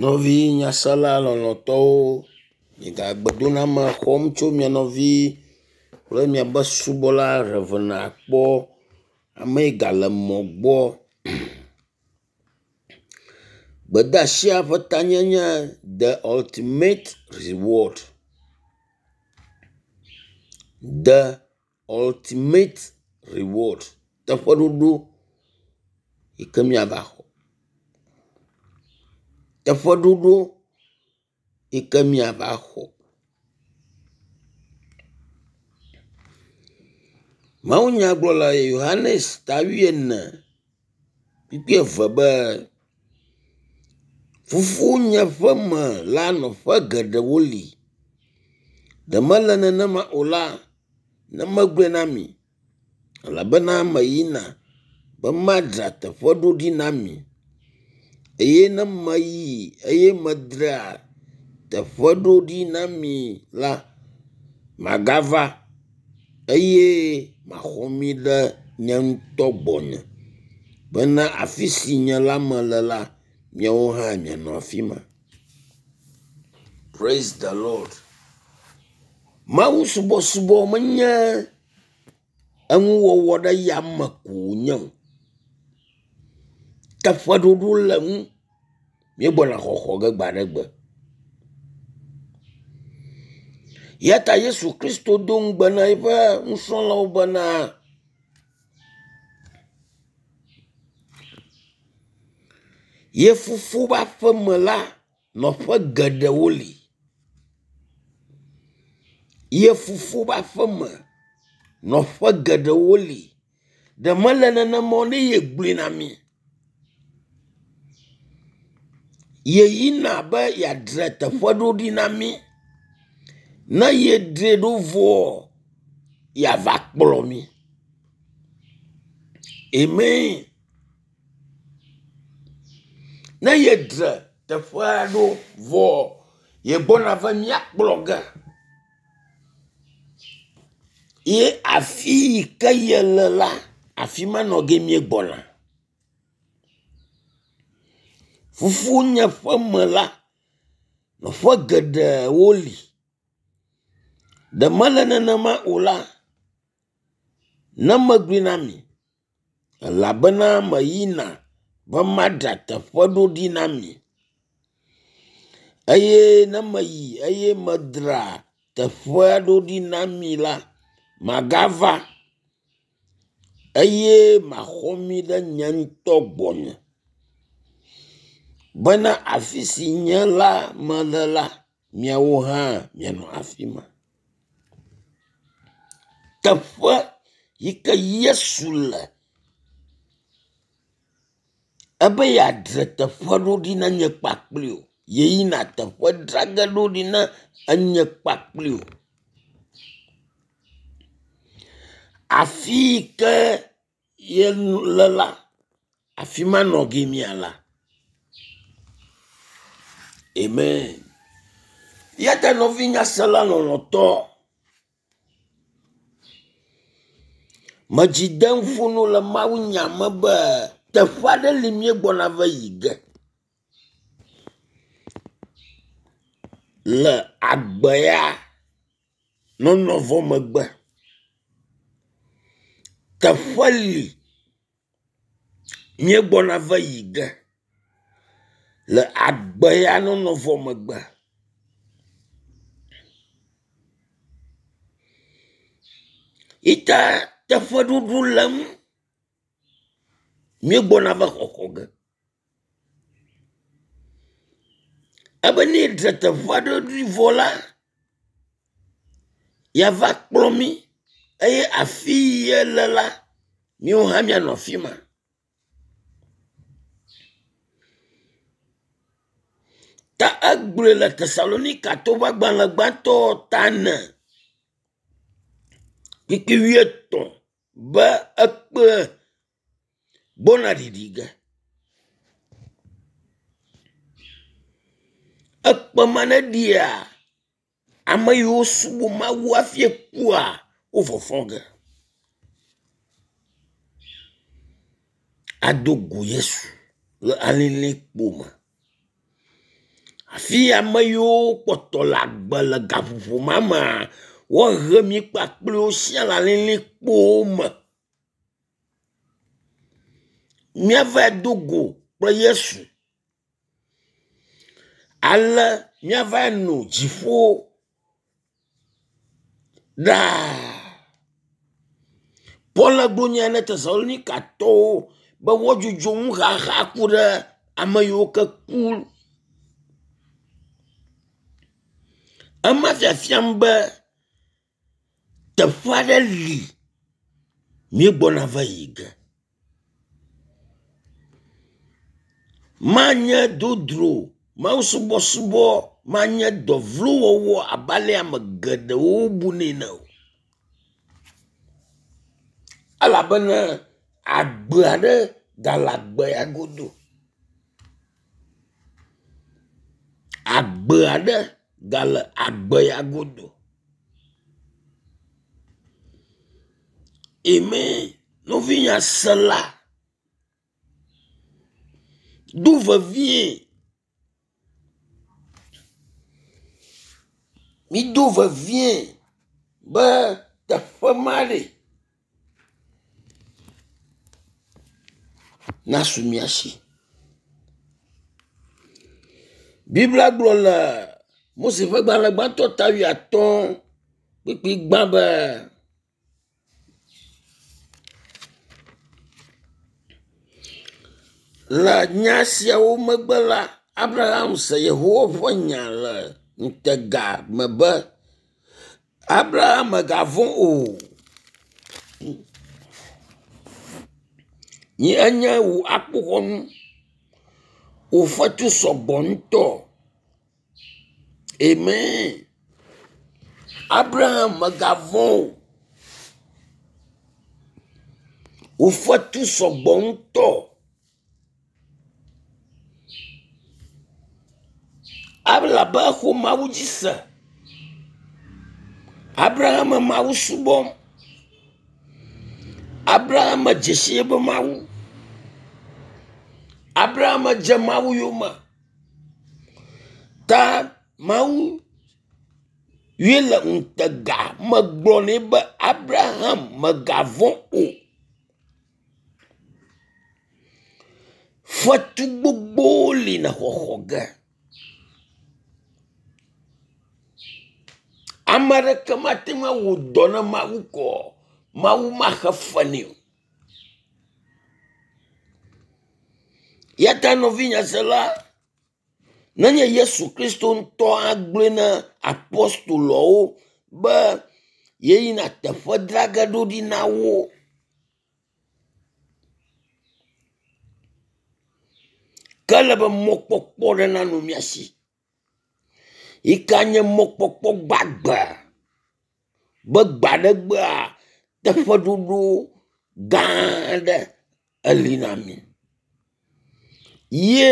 Nɔvi nyasela lɔlɔ̃tɔwo, miegbe doname xɔm tso mia nɔvi kple miaƒe subɔla Rev. Akpɔ ame yi gale mɔ gbɔ. Gbedeasia ƒe tanye nye the ultimate reward. The ultimate reward. Teƒeɖoɖo yi ke miava xɔ. Teƒeɖoɖo yi ke miava xɔ. Mawunya gblɔ le Yohanes ta wuiene kpukpui eve be, fofonye ƒe me la nɔƒe geɖewo li. Ɖe mele nenema o la, ne megblɔe na mi elabena meyina be madzra teƒe ɖo ɖi na mi. Eye ne meyi eye medzra teƒe ɖo ɖi na mi la, magava eye maxɔ mi ɖe nye ŋutɔ gbɔnye bena afi si nye la mele la, miawo hã mianɔ afi ma. Praise the Lord. Mawusubɔsubɔ menye enuwɔwɔ ɖe yame ko wònye o. Teƒeɖoɖo le ŋu. Míegbɔna xɔxɔ ge gbe aɖe gbe. Ya ta Yesu Kristo do ŋugbe na eƒe nusrɔ̃lawo bena ye fofo ƒe aƒeme la, nɔƒe geɖewo li. Ye fofo ƒe aƒeme, nɔƒe geɖewo li. Ɖe mele nenema o ne yegblɔe na mi. Yeyina be yeadzra teƒe ɖo ɖi na mí. Ne yedzrae ɖo vɔ, yeava kplɔ mí. Amen. Ne yedzra teƒea ɖo vɔ, yegbɔna va mía kplɔ ge. Ye afi yi ke yele la, afi ma nɔ ge míegbɔna. Fofonye ƒe me la, nɔƒe geɖewo li. Ɖe mele nenema o la, ne megblɔe na mi elabena meyina be madzra teƒe ɖo ɖi na mi. Eye ne meyi eye medzra teƒea ɖo ɖi na mi la, magava eye maxɔ mi ɖe nye ŋutɔ gbɔnye bena afi si nye la mele la, miawo hã mianɔ afi ma. Teƒe yi ke Yesu le ebe yeadzra teƒe ɖo ɖi na nye kpakpli wò. Yeyina teƒe dzra ge ɖo ɖi na enye kpakpli wò. Afi yi ke yele la, afi ma nɔ ge míala. Amen. Ya ta nɔvi nyasela lɔlɔ̃tɔ, medzi dem ƒo no le mawunya me be teƒe aɖe li míegbɔna va yi ge. Le agbe ya nɔnɔ vɔ megbe. Teƒe li míegbɔna va yi ge le agbe ya nɔnɔ vɔ megbe. Yita teƒeɖoɖo le ŋu. Míegbɔna va xɔxɔ ge. Ebe ne yedze teƒe aɖe ɖi vɔ la, yeava kplɔ mí eye afi yi yele la, míawo hã míanɔ afi ma. Ta egblɔe le Tesalonikatɔwo ƒe agbalẽ gbãtɔ ta ene kpukpui wuietɔ̃ be ekpe gbɔna ɖiɖi ge. Ekpe ma ne ɖia, ame yiwo subɔ Mawu hafi kua, wo fɔfɔ ge ado go Yesu le alilikpo me. Afi ame yiwo kpɔtɔ le agbe le gaƒoƒo ma mea, woahe mi kpakple wo sia le alilikpowo me. Míavae do go kple Yesu. Ale míavae no dziƒo ɖaa. Paul gblɔ nya na Tesalonikatɔwo be woadzudzɔ nuxaxa ku ɖe ame yiwo ke ku. Ema fiafiam be teƒe aɖe li míegbɔna va yi ge. Manye dodro, mawusubɔsubɔ manye dɔ vlo wɔwɔ abe ale ame geɖewo bunɛ ene o. Elabena agbe aɖe gale agbe ya godo. Agbe aɖe gale agbe ya godo. Amen. Nɔvinye sela, do vevie. Mido vevie be teƒe ma ɖe nasu mía si. Biblia gblɔ le Mose ƒe gbalẽ gbãtɔ ta wuiatɔ̃ kpukpui gbã be. Le nya siawo megbe la, Abraham se Yehowa ƒe nya le ŋutega me be, Abraham mègavɔ̃ o. Nye enye wò akpoxɔnu. Wò fetu sɔgbɔ ŋutɔ. Amen. Abraham mègavɔ̃ o. Wò fetu sɔgbɔ ŋutɔ. Elabe exɔ Mawu dzi se. Abraham Mawu subɔm. Abraham dze si eƒe Mawu. Abraham dze Mawu yome. Ta Mawu ye le ŋutega me gblɔ nɛ be Abraham mègavɔ̃ o. Fetu gbogbowo li le xɔxɔ ge. Ame aɖeke mate ŋu awɔ dɔ na Mawu kɔ Mawu maxe fe nɛ o. Ya ta nɔvinye sela, nenye Yesu Kristo ŋutɔ agblɔe na apostoloawo be yeyina teƒe dzra ge ɖo ɖi na wo. Ke ele be mɔkpɔkpɔ ɖe nanɔ mía si yi ke nye mɔkpɔkpɔ gbagbe be gbe aɖe gbea teƒeɖoɖo gã aɖe eli na mí ye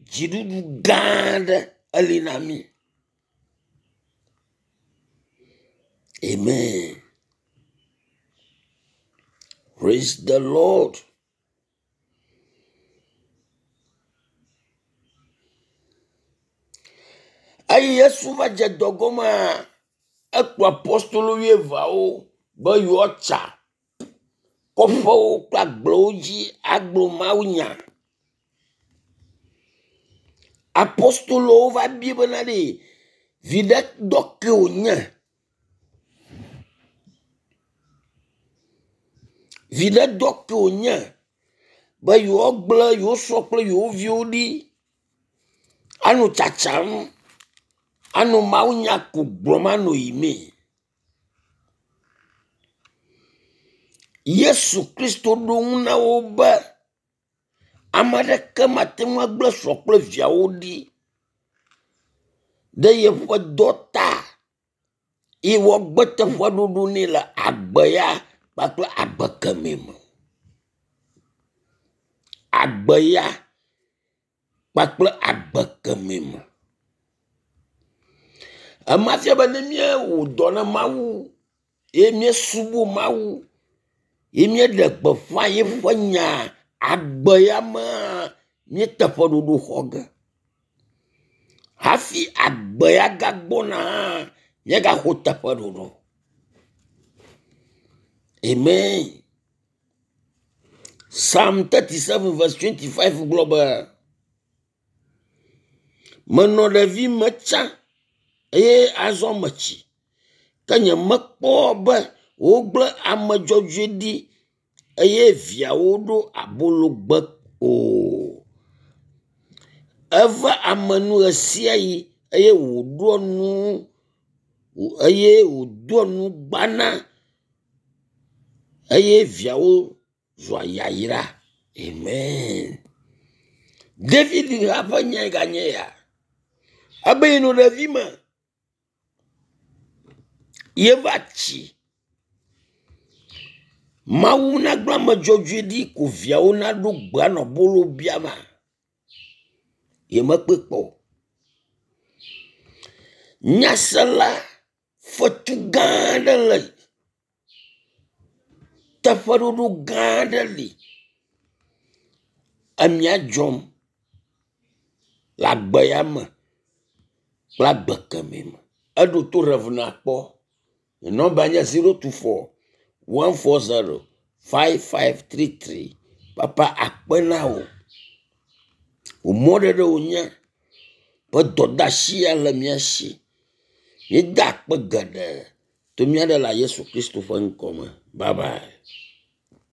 dziɖuɖu gã aɖe eli na mí. Amen. Praise the Lord. Eyi Yesu va dze dɔ gɔmea, ekplɔ apostolo wuieveawo be yewoatsa kɔƒewo kple agblewo dzi agblɔ mawunya. Apostolowo va bia bena ɖe viɖe dɔ ke wònye. Viɖe dɔ ke wònye be yewoagblẽ yewo srɔ̃ kple yewo viwo ɖi anɔ tsatsam anɔ mawunya ko gblɔm anɔ yiyimee. Yesu Kristo ɖo ŋu na wo be ame aɖeke mate ŋu agblẽ srɔ̃ kple viawo ɖi ɖe yeƒe dɔ ta ye woagbe teƒeɖoɖo nɛ le agbe ya kpakple agbe kemɛ me. Agbe ya kpakple agbe kemɛ me. Ema fia be ne míewɔ dɔ na Mawu ye míesubɔ Mawu ye míeɖe gbeƒã yeƒe nya agbe ya mea míeteƒeɖoɖo xɔ ge. Hafi agbe ya gagbɔna hã, míagaxɔ teƒeɖoɖo. Amen. Psalm 37 verse 25 gblɔ be, Menɔ ɖevi me tsã eye azɔ metsi, ke nyemekpɔ be wogblẽ ame dzɔdzɔe ɖi eye viawo ɖo abologbe o. Eve ame nu ɣesiaɣi eye wòɖoa nu eye wòdoa nugbana eye viawo zua yayra. Amen. David hã ƒe nyae ganye ya. Ebe yenɔ ɖevi me yeva tsi. Mawu nagblẽ ame dzɔdzɔe ɖi ko viawo naɖo gbe anɔ bolo biama. Yemekpɔe kpɔ o. Nyasela fetu gã aɖe le teƒeɖoɖo gã aɖe li. Emia dzɔm le agbe ya me kple agbe kemɛ me. Eɖo to Rev. Nakpɔ. Nye nɔmba nye 024 140 5533. Papa akpe na wò. Wò mɔɖeɖe wònye be dɔdeasi ya le mía si. Míeda akpe geɖe to mía Ɖela Yesu Kristo ƒe ŋkɔ me. Bye bye.